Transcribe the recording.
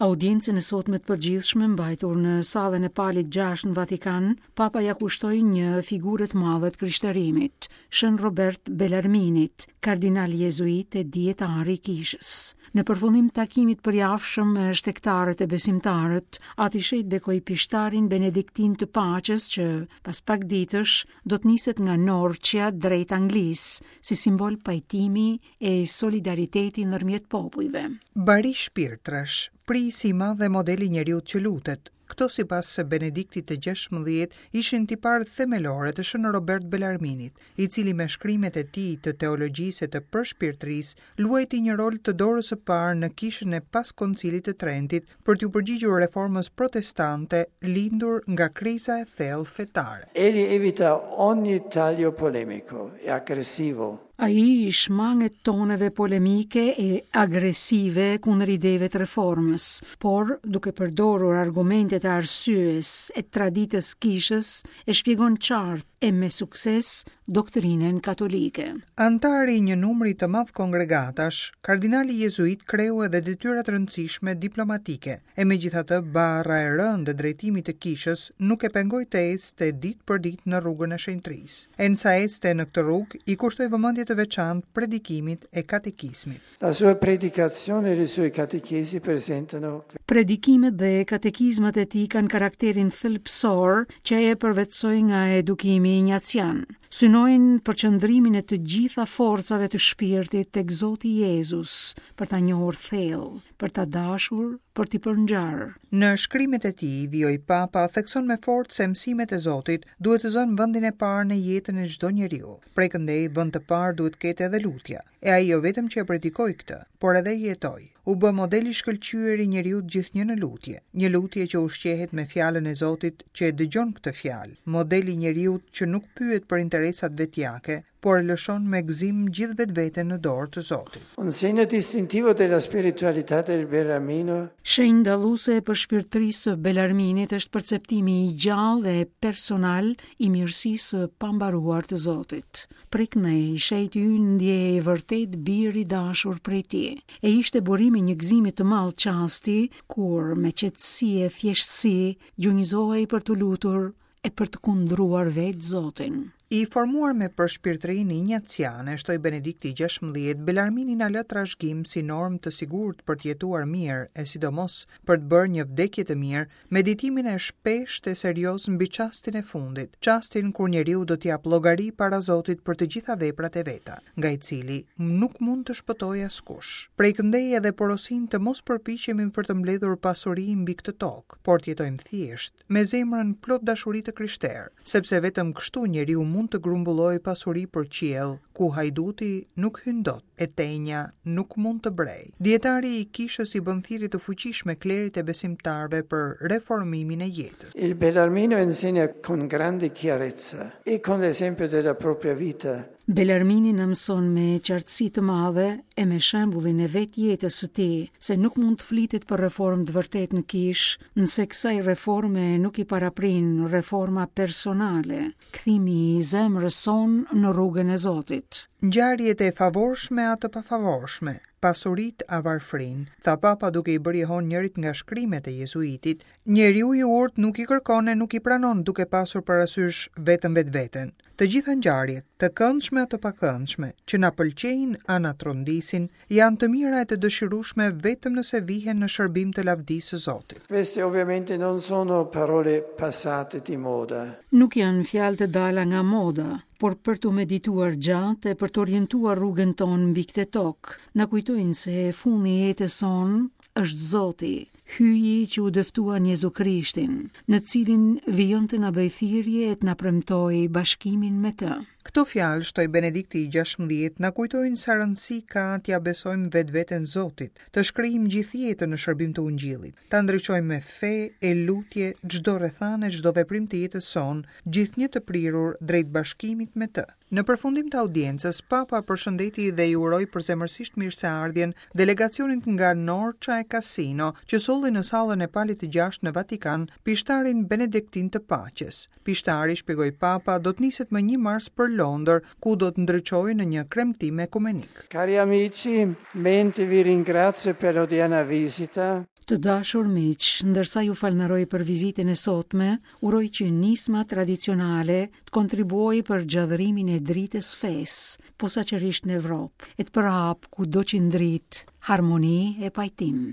Audiencën e sotme të përgjithshme mbajtur në sallën e Palit 6 në Vatikan, Papa ia kushtoi një figure të madhe të krishterimit, Shën Robert Belarminit, kardinal jezuit e dijetar i kishës. Në përfundim të takimit të përjavshëm me shtegtarët e besimtarët, Ati i Shenjtë bekoi pishtarin benediktin të paqes që, pas pak ditësh, do të niset nga Norcia drejt Anglisë, si simbol pajtimi e solidariteti ndërmjet popujve. Bari shpirtrash, prijësi i madh dhe modeli i njeriut që lutet, këto sipas Benediktit të XVI ishin tiparet themelore të Shën Robert Belarminit, i cili me shkrimet e tij të teologjisë e të përshpirtërisë luajti një rol të dorës së parë në kishën e pas Koncilit të Trentit për t'iu përgjigjur reformës protestante lindur nga kriza e thellë fetare. Egli evita ogni taglio polemico e aggressivo Ai i shmanget toneve polemike e agresive kundër ideve të reformës, por duke përdorur argumentet e arsyes e traditës kishës, e shpjegon qartë e me sukses doktrinën katolike. Anëtar i një numri të madh kongregatash, kardinali jezuit kreu edhe detyra të rëndësishme diplomatike. E megjithatë, barra e rëndë e drejtimit të kishës nuk e pengoi të ecte ditë për ditë në rrugën e shenjtërisë. E ndërsa ecte në këtë rrugë, i kushtoi vëmendje të veçantë predikimit e katekizmit. La sua predicazione e le sue catechesi presentano. Predikimet dhe katekizmat e tij kanë karakterin thelbësor që e përvetësoi nga edukimi injacian. Synojnë përqendrimin e të gjitha forcave të shpirtit tek Zoti Jezus, për ta njohur thellë, për ta dashur, për t'i përngjarë. Në shkrimet e tij, vijoi Papa, thekson me forcë se mësimet e Zotit duhet të zënë vendin e parë në jetën e çdo njeriu. Prej këndej, vend të parë duhet të ketë edhe lutja. E ai jo vetëm që e predikoi këtë, por edhe e jetoi. U bë model i shkëlqyer i njeriut gjithnjë në lutje, një lutje që ushqehet me fjalën e Zotit që e dëgjon këtë fjalë, model i njeriut që nuk pyet për interesat vetjake, por e lëshon me gëzim gjithë vetveten në dorë të Zotit. Un segno distintivo della spiritualità del Bellarmino. Shenjë dalluese e përshpirtërisë së Belarminit është perceptimi i gjallë dhe personal i mirësisë së pambaruar të Zotit. Prej këndej, i shenjti ynë ndjehej vërtet bir i dashur prej tij. E ishte burim i një gëzimi të madh çasti kur me qetësi e thjeshtësi gjunjëzohej për t'u lutur e për të kundruar vetë Zotin. I formuar me përshpirtërinë injaciane, shtoi Benedikti i XVI, Belarmini na lë trashëgim si normë të sigurt për të jetuar mirë e sidomos për të bërë një vdekje të mirë, meditimin e shpeshtë e serioz mbi çastin e fundit, çastin kur njeriu do të japë llogari para Zotit për të gjitha veprat e veta, nga i cili nuk mund të shpëtojë askush. Prej këndej edhe porosinë të mos përpiqemi për të mbledhur pasuri mbi këtë tokë, por të jetojmë thjesht, me zemrën plot dashuri të krishterë, sepse vetëm kështu njeriu mund të grumbullojë pasuri për qiell, ku hajduti nuk hyn dot e tenja nuk mund të brejë. Dijetari i kishës i bën thirrje të fuqishme klerit e besimtarëve për reformimin e jetës. Il Bellarmino insegna con grande chiarezza e con l'esempio della propria vita Belarmini na mëson me qartësi të madhe e me shembullin e vetë jetës së tij se nuk mund të flitet për reformë të vërtetë në kishë, nëse kësaj reforme nuk i paraprin reforma personale, kthimi i zemrës sonë në rrugën e Zotit. Ngjarjet e favorshme a të pafavorshme, pasuritë a varfërinë, tha Papa duke i bërë jehonë njërit nga shkrimet e jezuitit, njeriu i urtë nuk i kërkon e nuk i pranon duke pasur parasysh vetëm vetveten. Të gjitha ngjarjet, të këndshme a të pakëndshme, që na pëlqejnë a na trondisin, janë të mira e të dëshirueshme vetëm nëse vihen në shërbim të lavdisë së Zotit. Queste ovviamente non sono parole passate di moda. Nuk janë fjalë të dala nga moda, por për t'u medituar gjatë e për të orientuar rrugën tonë mbi këtë tokë. Na kujtojnë se fundi i jetës sonë është Zoti, Hyji që u dëftua në Jezu Krishtin, në të cilin vijon të na bëjë thirrje e të na premtojë bashkimin me të. Këto fjalë, shtoi Benedikti i XVI, na kujtojnë sa rëndësi ka t'ia besojmë vetveten Zotit, të shkrijmë gjithë jetën në shërbim të Ungjillit, ta ndriçojmë me fe e lutje çdo rrethanë e çdo veprim të jetës sonë, gjithnjë të prirur drejt bashkimit me të. Në përfundim të audiencës, Papa përshëndeti dhe i uroi përzemërsisht mirëseardhjen delegacionit nga Norcia e Cassino, që solli në sallën e Palit të Gjashtë në Vatikan pishtarin benediktin të paqes. Pishtari, shpjegoi Papa, do të niset më një mars për Londër, ku do të ndriçojë në një kremtim ekumenik. Cari amici, mentre vi ringrazio per l'odierna visita. Të dashur miq, ndërsa ju falënderoj për vizitën e sotme, uroj që nisma tradicionale të kontribuojë për gjallërimin e dritës së fesë, posaçërisht në Evropë, e të përhapë kudo që ndrit harmoni e pajtim.